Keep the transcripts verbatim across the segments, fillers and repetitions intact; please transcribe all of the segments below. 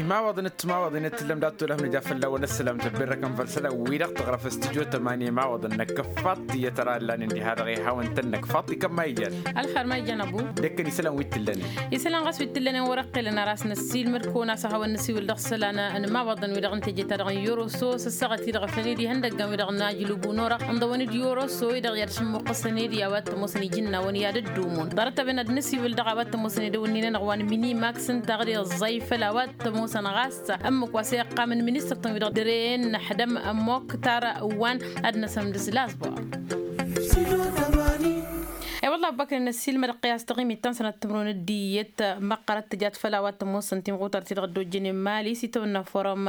Imawaḍăn d-timawaḍen i t-tǝllăm dat-tolăf nǝja fălla-wăn ăssălam tăbberrăkăn făll-isălan-wi-dăɣ tǝɣrăf s-tijo tămani imawaḍăn n-akăffaḍt i-ad-tăra ǝllanen diha-dăɣ ihawăn-tăn n-akăffaḍt ikăm ma ijan. Ălxer ma ijan ăbu. D-ekkăn isălan wi t-tǝllănen. Isălan ɣas wi t-tǝllănen wăr-ăqqelăn ar a-s năssiilmăd kăwăn-as ad-hawăn-nǝsiwǝl dăɣ-isălan n-imawaḍăn-wi-dăɣ n-teje-ta-dăɣ n-yoroso s-ăssaɣăt-i-dăɣ făl-ed ihăndăggan-wi-dăɣ n-ajlub unorăɣ ǝnḍăwăn-dd yoroso-i-dăɣ i-ad-sǝmmuqqăsăn ed i-a-wa t-ămoosăn iji n-a-wăn i-ad-ăddumun ḍarăt-a-wen ad-nǝsiwǝl dăɣ-a-wa t-ămoosăn edăwănnin-anăɣ wa n-minimax ǝnta ɣǝd iẓẓay făll-a-wa t-ămoosăn ɣas ǝmmǝk wa s-e-ăqqam n-ministăr-tăn-wi-dăɣ dăr-e n-ăḥdăm ămmok tar-ǝwwan ad-năsăm d-slasbor. E-wălla ăbbăknen ăssiilmăd ăqqăy a-s taɣimit ta n-sănat timǝrwen d-iyyăt măqqărăt tǝjat făll-a-wa t-ămoosăn timɣutart-i-dăɣ ăddojjănen mali s-itawănna forum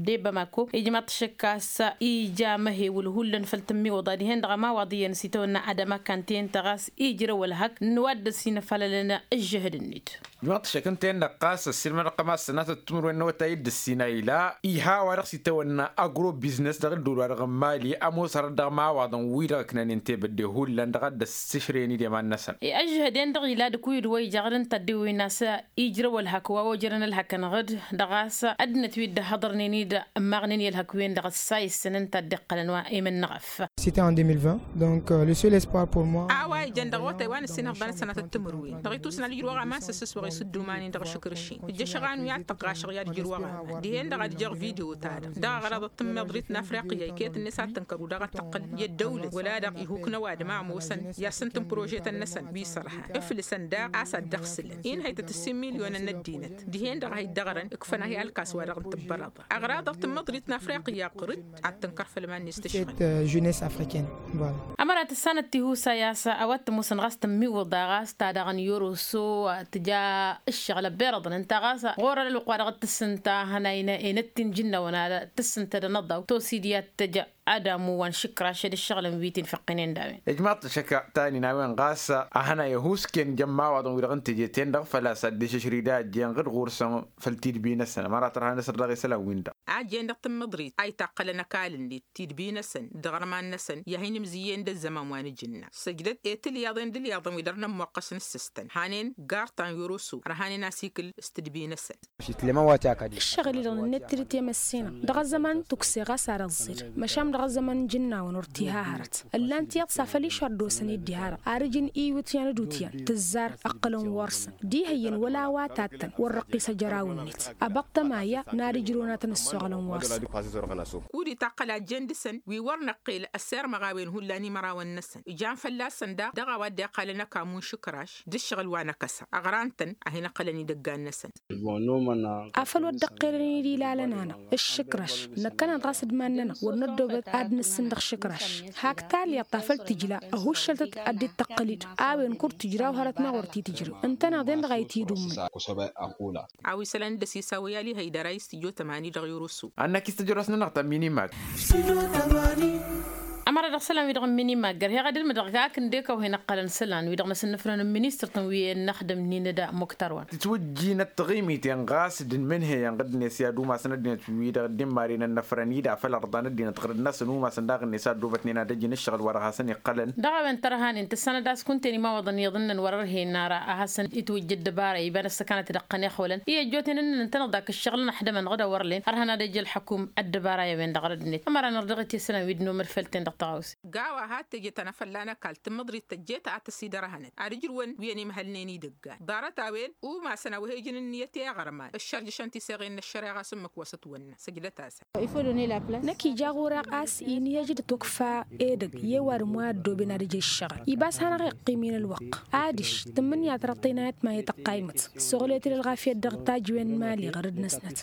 de bamako ijmaḍ-t šăkk a-s ija măhewǝl hullan făll-tǝmmiwǝḍa dihen-dăɣ ămawaḍ iyyăn s-itawănna adăma kanten-tăɣ a-s ijrăw ălhăk n-wa dd-ăsinăfalălăn ǝžžǝhǝd-net. Ijmaḍ-t šăkk ǝnta-en-dăɣ ɣas ăssiilmăd ăqqăy ma s-sănatăt timǝrwen n-awătay dd-ăssinayǝla iha a-wa-dăɣ s-itawănna agro biznes dăɣ-ǝddǝwǝl-wa-dăɣ n-mali ămoos hărăt dăɣ-imawaḍăn-wi-dăɣ ǝknănen tebădde hullan dăɣ-ad-dd-ăssǝšrăyăn idem ad-năsăn. I-ăžžăhăden-dăɣ ila d-ǝkuyǝd wa ija ɣǝd ǝnta dd-iwwǝyna a-s ijrăw ălhăk wa ojărăn ălhăkăn ɣǝd dăɣ-a-s ăddinăt wi dd-ăhhăḍărnen-dd ǝmmaɣnen i-ălhăk-wen-dăɣ ăssayǝssăn ǝnta a dd-iqqălăn wa i-mǝnnăɣăf. C'était en deux mille vingt. Donc le seul espoir pour moi. A-wa ijăn dăɣ-awătay wa nǝssin ihăḍḍan d-sănatăt timǝrwen dăɣ-itusna ad-ǝjrǝwăɣ aman s-ǝssǝswăɣ i-s ǝdduman-in-dăɣ ašǝkrǝš-in ǝjjăšăɣ anuyat tăɣɣašăɣ i-ad-ǝjrǝwăɣ aman dihen-dăɣ ad-ǝjăɣ video-ta-dăɣ dăɣ-aɣrăḍăt tǝmmiḍrit n-afriqya iket-net ad-tăn-kăru daɣ ad-tăqqǝl i-ăddăwlăt wăla-dăɣ ihuk n-ăwadǝm a ămoosăn i-ad-sǝntǝn prožetăn-năsăn wi s-ărhan ǝflǝsăn daɣ a-s ad-dd-ăɣsǝlăn inhăytăt ǝssin milyonăn n-ăddinăt dihen-dăɣ a hi-dd-ăɣrăn ǝkfăn ahi alkas wa dăɣ-n tǝbbărăḍa. Ăɣraḍăɣ tǝmmǝḍrit n-afriqya ɣur-dd ad-tǝnkăr făll-iman-net tǝšɣǝl. Jeunesse africaine. Ămăra tǝssanăt tihusa i-a-s a-wa t-ămoosăn ɣas tǝmmiwǝḍa ɣas ta daɣ n-yoroso tǝja ǝššăɣǝl ăbberăḍăn ǝnta ɣas ɣur-ălwăqq wa dăɣ-t-tǝssǝnta hănay n-enăt tinjǝnnawăn ad-tǝssǝntăd ănăḍaw tosid i-ad-tǝj adamu wa n-išǝkraš d-ǝššăɣǝlăn wi t-infăqqinen d-a-wen. Ijmaḍ-t šăkk ta nin a-wen ɣas a hănay ăhuusken jămmawaḍăn-wi-dăɣ n-teje-ten-dăɣ făl-a-s ad-dd-išǝšrǝy d-a ăjjeen ɣǝd ɣur-săn făll-tidbi-năsăn ămăra tărha n-asăr dăɣ-isălan-win-dăɣ. A ăjjeen dăɣ-tǝmmǝḍrit a itaqqălăn ăkall-net tidbi-năsăn d-iɣărman-năsăn i-ad-hin-imzǝyyăyăn d-ăzzăman wa n-ajǝnna săjdăt i-tǝlyaḍen d-ǝlyaḍăn wi dăr-nămmoqqăs n-ǝssǝstăn hanen gar ta n-yoroso ărhanen asikǝl s-tidbi-năsăn. Ǝššăɣǝl-i-dăɣ nǝnnăt-dd temăssinăɣ dăɣ-ăzzăman n-tukse ɣas ad-ăẓẓir măšan dăɣ-ăzzăman n-ijǝnnawăn wăr t-iha hărăt. Ǝllan tiyyăḍ s-afăl išăr d-osăn i-dd-iha-dăɣ ar ǝjǝn iwǝtyan d-utyan tǝzzar ǝqqǝlăn wăr-săn d-ihăyyăn wăla a-wa tattăn wăr răqqis ajăraw-net. Ăbăṭṭăma ya n-ad-ǝjrǝwăn ad-tăn-ăssoɣlăn wăr-săn. Kud-itaqqăl a ǝjjen dăɣ-săn wi wăr năqqel ăssirmăɣ a-wen hullan imărawăn-năsăn ijan fălla-săn daɣ dăɣ-a-wa dd-iqqalăn ăkamu n-išǝkraš d-ǝššăɣǝl wa n-akăsa ăɣran-tăn ad-hin-ǝqqǝlăn idăggan-năsăn. Afăl wăr dd-ăqqelăn-dd ilalăn-anăɣ ǝššǝkraš năkkăneḍ ɣas d-iman-nănăɣ wăr năddoobăt ad-nǝssǝn dăɣ-išǝkraš. Hak talyaḍt ta făl tǝjla ăhuššăltăt ad-dd-tăqqǝl-dd a-wen kur-tǝjraw hărăt-năɣ wăr t-tǝjrew ǝntăneḍ-en-dăɣ a itidǝwmǝn. A-wa isălan d-ăsisawăy alihăy dăr-a-i s-tǝjo tămani dăɣ-irusu. Ad-năkk i-s tǝjrăwăs-nănăɣ ta n-minimak. Ămăra dăɣ-isălan-wi-dăɣ n-minimak gărheɣ ad-ǝlmǝdăɣ hakd ǝndek a-wa hin-ǝqqălăn isălan-wi-dăɣ n-asǝnnǝfrăn n-ministăr-tăn wi ănnăxdăm-nin-dd muktar wa. Tǝtwǝjjinăt taɣimit-en ɣas d-inmǝnhăyăn ɣǝd-net i-ad-umasăn ăddinăt-wi-dăɣ dd-immarinen n-afrăn-i d-afăl ărḍan ăddinăt ɣǝrǝd-năsăn umasăn daɣ-net a ăddoobătnen ad-ăjǝn ǝššăɣǝl wa dăɣ-hasăn-iqqălăn. Dăɣ-a-wen tărhanen tǝssanăt a-s kunta-en imawaḍăn iyyăḍ ǝnnăn wăr-ărhen ara a hasăn-itwǝjja ăddăbara iba n-ăssăkanăt dăɣ-tăn ixwălăn i-ăjjootnen ǝnnăn ǝntăneḍ dak ǝššăɣǝl n-ăḥdămăn ɣǝd a wăr len ărhăn ad-ăj ălḥăkum ăddăbara i-a-wen-dăɣ rădd-net. Ămăra nărdăɣ-t i-isălan wi d-nomăd făll-ten-dăɣ tăɣawse. Gawa had-teje ta n-afălla n-ăkall tǝmmǝḍrit tăjjeet a tăsidărhănăt ad-ǝjrǝwăn wi ănimhălnen idăggan ḍarăt-a-wen umasăn a wa he-ǝjǝn ǝnniyăt i-iɣărman ǝššărjăšăn tiseɣen n-ăššăreɣa s-ǝmmǝk wa s-ătwănna. Săjdăt-asăn. Năkk ija ɣur-e ɣas inhăj d-tukfa edăgg i-ăwadǝm wa ăddooben ad-ǝjrǝj ǝššăɣǝl ibas hanăɣ-iqqim-in ălwăqq. Adiš tǝmmǝnǝya tărăḍt-i n-ayăt ma he-tăqqaymăt. Soɣlet-dd ălɣafyăt dăɣ-tajǝwen n-imali ɣărăd-năsnăt.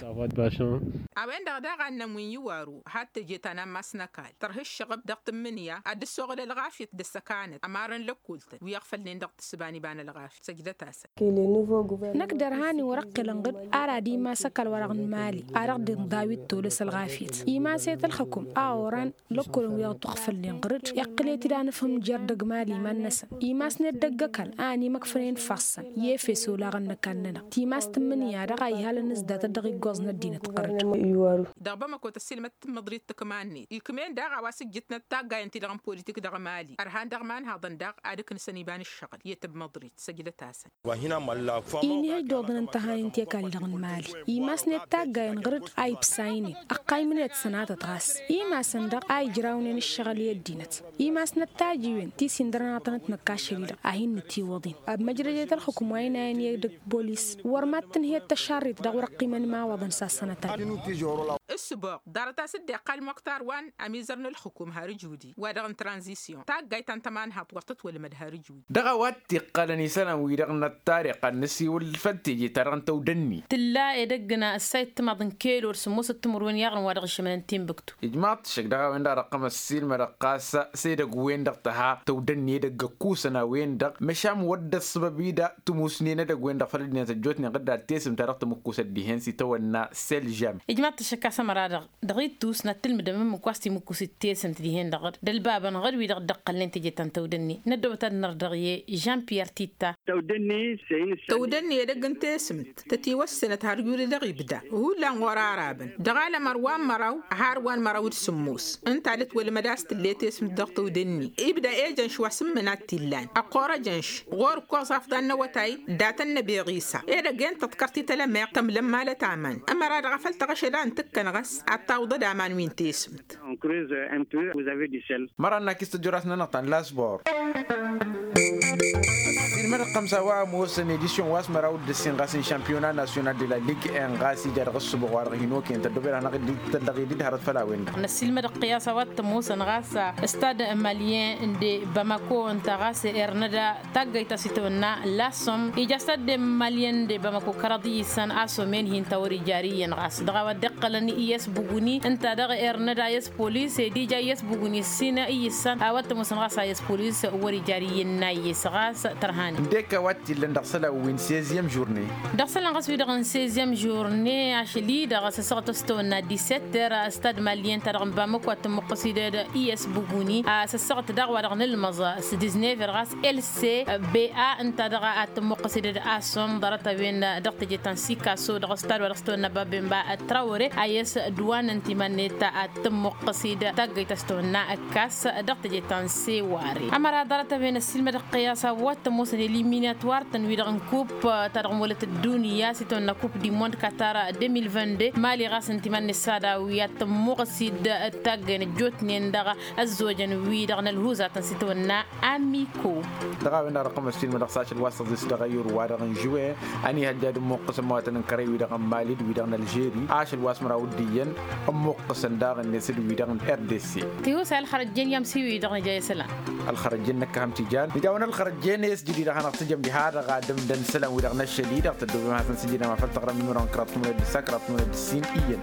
A-wen-dăɣ daɣ a ǝnnăn wi n-iwaru had-teje ta n-ammas n-ăkall tărha ǝššăɣǝb dăɣ-tǝmmǝnǝya ad-dd-ăssoɣăl ălɣafyăt d-ăssăkanăt ămarăn lăkkoltăn wi iɣfălnen dăɣ-tǝssǝba n-iba n-ălɣafyăt. Săjdăt-asăn. Năkk dărhan-i wăr-ăqqǝlăn ɣǝd ara d-imas ăkall wa dăɣ-nǝmali a dăɣ-dd-inḍaw i-tolăs ălɣafyăt imas-et ălxǝkum a oran lăkkolăn wi dăɣ-t-uɣfălnen ɣǝr-dd iqqǝl-et-dd anǝfhǝm jer-dăgg mali iman-năsăn. Imasnet dăgg-ăkall a ănimăkfănen fassăn i-efes olaɣăn n-ăkall-nănăɣ timas tǝmmǝnǝya-dăɣ a ihalăn ǝzdatăt dăɣ-iggoẓ n-ăddinăt ɣǝr-dd. Dăɣ-bamăko tăssiilmăd tǝmmǝḍrit tǝkma-net ikm'-en daɣ a-wa s-ǝjjǝtnăt ta. Taggayen-ti-dăɣ n-politik dăɣ-mali ărhan dăɣ-imanhaḍăn daɣ ad-ǝknǝsăn iba n-ǝššăɣǝl i-tǝbmăḍrit săjdăt-asăn. Inhăj d-oḍăn n-tăhanăy n-tekal-i-dăɣ n-mali imasnet taggayen ɣǝr-dd a ibsaynen ăqqaymnet sănatăt ɣas imasăn-dăɣ a ijrawnen ǝššăɣǝl i-ăddinăt. Imasnăt tajiwen ti s-indărăn ad-tănăt-năkk ašăl-i-dăɣ a hin-nǝtiwăḍen. Ăbmăjrăjet ălxukǝm wa inayăn i-edăgg bolis wăr mad-tǝnhǝyăt tăšarrit dăɣ-wăr ăqqimăn imawaḍăn s-ad-sănătăn. Ǝssǝboɣ ḍarăt-as-dd iqqal muktar wa n-amizăr n-ǝlxǝkum har ǝjudi wa-dăɣ n-tranzisyon taggayt ta n-tămanhaḍt wăr tătwălmăd har ǝjudi. Dăɣ-a-wa t-iqqălăn isălan-wi-dăɣ n-ăttarăɣ ad-nǝsiwǝl făll-teje-ta-dăɣ n-tăwdănni. Tǝlla edăgg n-a ǝssayăt timaḍ n-kelor sǝmmosăt timǝrwen i-aɣrǝm wa dăɣ-išmănăn tinbǝktu. Ijmaḍ-t ǝššăk dăɣ-a-wen-dăɣ ad-ăqqăm ăssiilmădăɣ ɣas s-edăgg-wen-dăɣ tăha tăwdănni edăgg ăkkusăn a-wen-dăɣ măšan wăr dd-ăṣṣăbăb-i da tǝmusnen edăgg-wen-dăɣ făll-ăddinăt ăjjootnen ɣǝdda d-tesǝmt ta dăɣ-tǝmǝkkusăt dihen s-itawănna sel žam. Ijmaḍ-t ǝššăk a-s ămăra-dăɣ dăɣ-ittus n-ad-tǝlmǝdăm ǝmmǝk wa s-timǝkkus d-tesǝmt dihen-dăɣ d-ălbabăn ɣăr-wi-dăɣ dd-ăqqălnen teje ta n-tăwdănni. Năddobăt ad-năr dăɣ-i žan piyer titta. Tăwdănni edăgg n-tesǝmt tătiwăssenăt har juri dăɣ-ibda hullan ɣur-arabăn dăɣ-alămăr wa n-măraw har wa n-măraw d-sǝmmos. Ǝnta ad-ătwălmăd a-s tǝlle tesǝmt dăɣ-tăwdănni ibda ejănš wa s-ǝmmǝn ad-t-illan ăqqor ăjănš. Ɣur-ǝkkoẓ afḍal n-awătay datăn n-ebeɣ isa edăgg-en tăḍkărt-i tălămeɣt tămlămmalăt aman. Ămăra-dăɣ a făl tăɣăšăd a ǝntǝkkăn ɣas ad-tawḍăd aman wi n-tesǝmt. Măran n-akis tăjjăras-nănăɣ ta n-lasbor. Ăssiilmădăɣ-tăn s-a-wa ămoosăn edisyon wa s-măraw d-ǝssin ɣas n-šampiyona nasyonal de la ligue en ɣas ija dăɣ-ǝssǝboɣ wa dăɣ-hin-okăyăn tăddobed hanăɣ-dd-tăllăɣ-dd hărăt făll-a-wen-dăɣ. Năssiilmădăɣ-t i-a-s a-wa t-ămoosăn ɣas stad malyen de bamako ǝnta ɣas ernăda taggayt ta s-itawănna lassom ija stad malyen de bamako kăraḍ iyyǝssăn a-s omen hin-ta wăr-ija ar iyyăn ɣas dăɣ-a-wa dd-iqqălăn iyyăs buguni ǝnta dăɣ-ernăda iyyăs polis ed ija iyyăs buguni ǝssin iyyǝssăn a-wa t-ămoosăn ɣas a iyyăs polis wăr-ija ar iyyăn n-a iyyăs ɣas tărhan. Ǝndek a-wa t-illăn dăɣ-isălan wi n-seziyăm žurne. Dăɣ-isălan ɣas wi-dăɣ n-seziyăm žurne ašăl-i-dăɣ s-ăssaɣăt a-s tăwănna disetter stad malyen ta dăɣ-n bamăko ad-tǝmmuqqăs-dd iyyăs buguni a-s ăssaɣăt daɣ wa dăɣ-nǝlmăẓ s-disnever ɣas else be a ǝnta dăɣ-ad-tǝmmuqqăs-dd a-s omm ḍarăt-a-wen dăɣ-teje ta n-sikaso dăɣ-stad wa dăɣ-s tăwănna babenba trawăre a iyyăs d-wa n-ăntimannet ad-tǝmmuqqăs-dd taggăyt ta s-tăwănna ǝkkas dăɣ-teje ta n-seware. Ămăra ḍarăt-a-wen ăssiilmădăɣ-t i-a-s a-wa t-ămoosăn eliminatwar-tăn wi-dăɣ n-kup ta dăɣ-măwălăt ăddunya s-itawănna kup dimond katar de mil vingt-deux mali ɣas n-timanne s-ad-awi ad-tămmuɣăs-dd taggăyăn ăjjootnen dăɣ-ăzzojăn wi-dăɣ n-ălhuzatăn s-itawănna amiko. Dăɣ-a-wen-dăɣ dăɣ-tămăstin mădăɣ s-ašăl wa s-tăẓis dăɣ-ayǝr wa-dăɣ n-žuwe ănihăjja d-ǝmmuqqǝsăn mawatăn n-kărăy wi-dăɣ n-mali d-wi-dăɣ n-ălžeri ašăl wa s-măraw d-iyyăn ǝmmuqqǝsăn daɣ-net d-wi-dăɣ n-rdc. Tiwǝsay ălxărăjjen i-amsi wi-dăɣ nǝja i-isălan. Ălxărăjjen năkkăhăm tijan nǝja-wăn ălxărăjjen i-s jǝdid ad-hanăɣ-tǝjăm diha-dăɣ ad-ǝmdăn isălan wi-dăɣ n-ašăl-i-dăɣ tăddobem ad-hasăn-sǝjǝdăm afăl taɣrăm n-imăran kăraḍ timǝned d-ǝssa kăraḍ timǝned d-ǝssin iyyăn.